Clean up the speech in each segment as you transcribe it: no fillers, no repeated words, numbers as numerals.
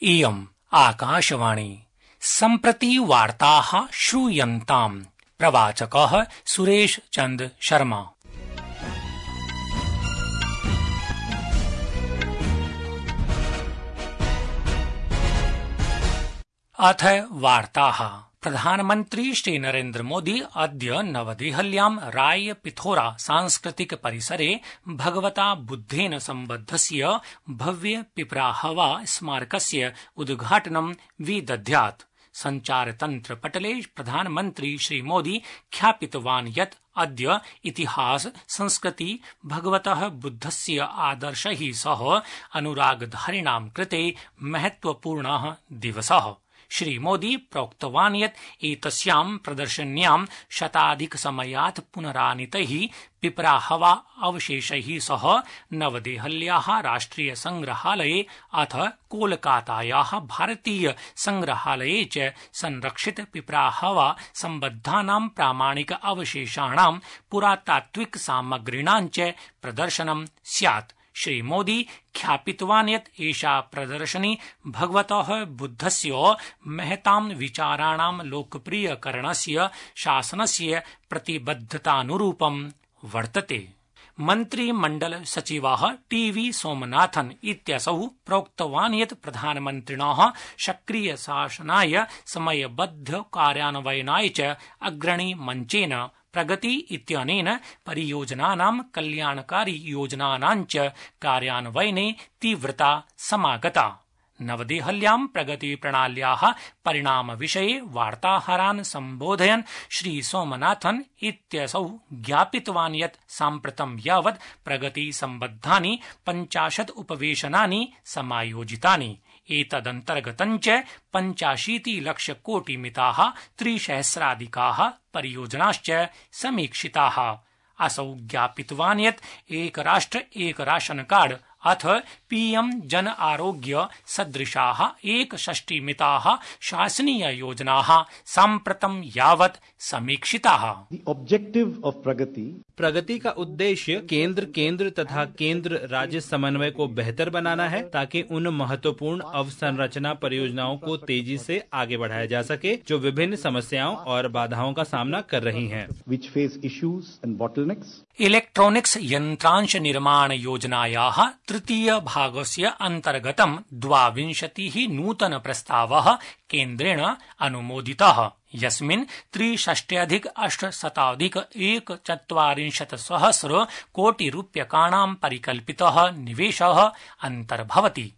इयम् आकाशवाणी। सम्प्रति वार्ताः श्रूयन्ताम्। प्रवाचकः सुरेश चन्द्र शर्मा। अथ वार्ताः। प्रधानमन्त्री श्रीनरेन्द्र मोदी अद्य नवदेहल्यां राय पिथोरा सांस्कृतिक परिसरे भगवता बुद्धेन सम्बद्धस्य भव्य पिपराहवा स्मारकस्य उद्घाटनं विदध्यात्। संचारतन्त्र पटले प्रधानमन्त्री श्रीमोदी ख्यापितवान् यत् अद्य इतिहास संस्कृति भगवतः बुद्धस्य आदर्शैः सह अनुरागधारिणां कृते महत्वपूर्णः दिवसः। श्रीमोदी प्रोक्तवान् यत् एतस्यां प्रदर्शन्यां शताधिकसमयात् पुनरानीतैः पिपराहवा अवशेषैः सह नवदेहल्याः राष्ट्रिय संग्रहालये अथ कोलकातायाः भारतीय संग्रहालये च संरक्षित पिपराहवा सम्बद्धानां प्रामाणिक अवशेषाणां पुरातात्विक सामग्रीणां च प्रदर्शनं स्यात्। श्रीमोदी ख्यापितवान् यत् एषा प्रदर्शनी भगवतः बुद्धस्य महतां विचाराणां लोकप्रियकरणस्य शासनस्य प्रतिबद्धतानुरूपं वर्तते। मन्त्रिमण्डल सचिवः टीवी सोमनाथन् इत्यसौ प्रोक्तवान् यत् प्रधानमन्त्रिणः सक्रिय शासनाय समयबद्ध कार्यान्वयनाय च अग्रणी मञ्चेन प्रगति इत्यनेन परियोजनानां कल्याणकारी योजनानां च कार्यान्वयने तीव्रता समागता। नवदेहल्यां प्रगति प्रणाल्याः परिणामविषये वार्ताहरान् सम्बोधयन् श्री सोमनाथन् इत्यसौ ज्ञापितवान् यत् साम्प्रतं यावत् प्रगति सम्बद्धानि 50 उपवेशनानि समायोजितानि। एतदन्तर्गतञ्च 85 लक्षकोटिमिताः 300 परियोजनाश्च समीक्षिताः। असौ ज्ञापितवान् यत् एक राष्ट्र एक राशन कार्ड अथ पीएम जन आरोग्य सदृशाः 61 शासनीय योजनाः साम्प्रतं यावत् समीक्षिताः। प्रगति का उद्देश्य केंद्र तथा केंद्र राज्य समन्वय को बेहतर बनाना है ताकि उन महत्वपूर्ण अवसंरचना परियोजनाओं को तेजी से आगे बढ़ाया जा सके जो विभिन्न समस्याओं और बाधाओं का सामना कर रही हैं। इलेक्ट्रॉनिक्स यन्त्रांश निर्माण योजनायाः तृतीय भागस्य अन्तर्गतं 22 नूतन प्रस्तावः केन्द्रेण अनुमोदितः, यस्मिन् 63,841 कोटिरूप्यकाणां परिकल्पितः निवेशः अन्तर्भवति।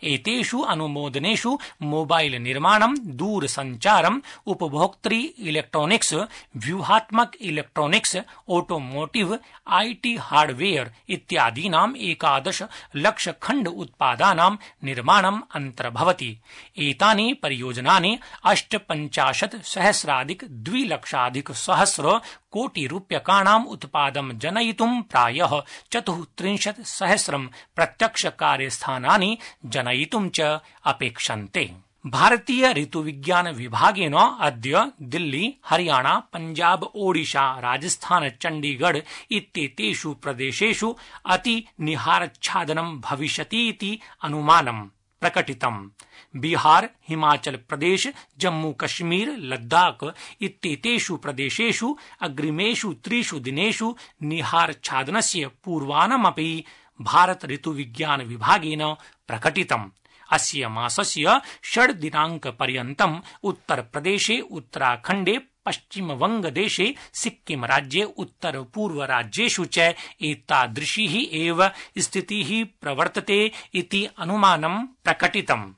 एतेषु अनुमोदनेषु मोबाइल निर्माणं, दूरसञ्चारम्, उपभोक्तृ इलेक्ट्रॉनिक्स, व्यूहात्मक इलेक्ट्रॉनिक्स, ऑटोमोटिव, आईटी हार्डवेयर इत्यादीनां 11 लक्ष खण्ड उत्पादानां निर्माणम् अन्तर्भवति। एतानि परियोजनानि 58,200,000 कोटिरूप्यकाणाम् उत्पादं जनयितुं प्रायः 34,000 प्रत्यक्ष कार्यस्थानानि जनयितुं च अपेक्षन्ते। भारतीय ऋतुविज्ञान विभागेन अद्य दिल्ली, हरियाणा, पंजाब, ओडिशा, राजस्थान, चण्डीगढ़ इत्येतेषु प्रदेशेषु अति निहारच्छादनं भविष्यतीति अनुमानं प्रकटितम्। बिहार, हिमाचल प्रदेश, जम्मू कश्मीर, लद्दाख इत्येतेषु प्रदेशेषु अग्रिमेषु 3 दिनेषु निहारच्छादनस्य पूर्वानुमानमपि भारत ऋतुविज्ञान विभागेन प्रकटितम्। अस्य मासस्य 6 दिनाङ्कपर्यन्तम् उत्तरप्रदेशे, उत्तराखण्डे, पश्चिमवङ्गदेशे, सिक्किम राज्ये, उत्तरपूर्वराज्येषु च एतादृशी एव स्थितिः प्रवर्तते इति अनुमानं प्रकटितम्।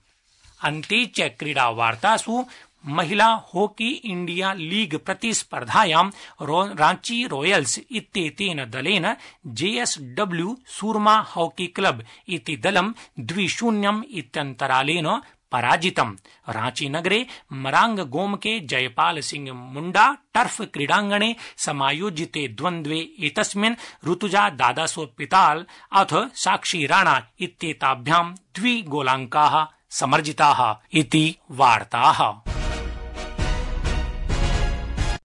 अन्ते च क्रीडावार्तासु महिला हॉकी इंडिया लीग प्रतिस्पर्धायां रांची रॉयल्स इत्येतेन दलेन जेएसडब्ल्यू सूरमा हॉकी क्लब इति दलं 2-0 इत्यन्तरालेन पराजितम्। रांची नगरे मरांग गोमके जयपाल सिंह मुंडा टर्फ क्रीडांगणे समायोजिते द्वन्द्वे एतस्मिन् ऋतुजा दादासोपिताल अथ साक्षी राणा इत्येताभ्यां 2 गोलाङ्काः समर्जिताः इति वार्ताः।